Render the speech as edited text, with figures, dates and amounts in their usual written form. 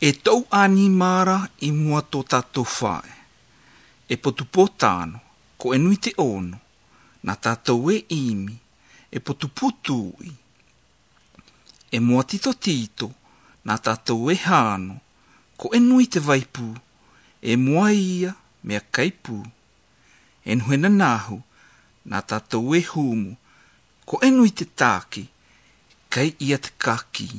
E tau ani mara I mua tō tātou whae. E potupo tāno, ko e nui te ono, na tātou e imi, e potupo tūi. E mua tito tito, na tātou e hāno, ko e nui te vaipu, e mua ia mea kaipu. E nuhena nahu, na tātou e humu, ko e nui te tāki, kai ia te kaki.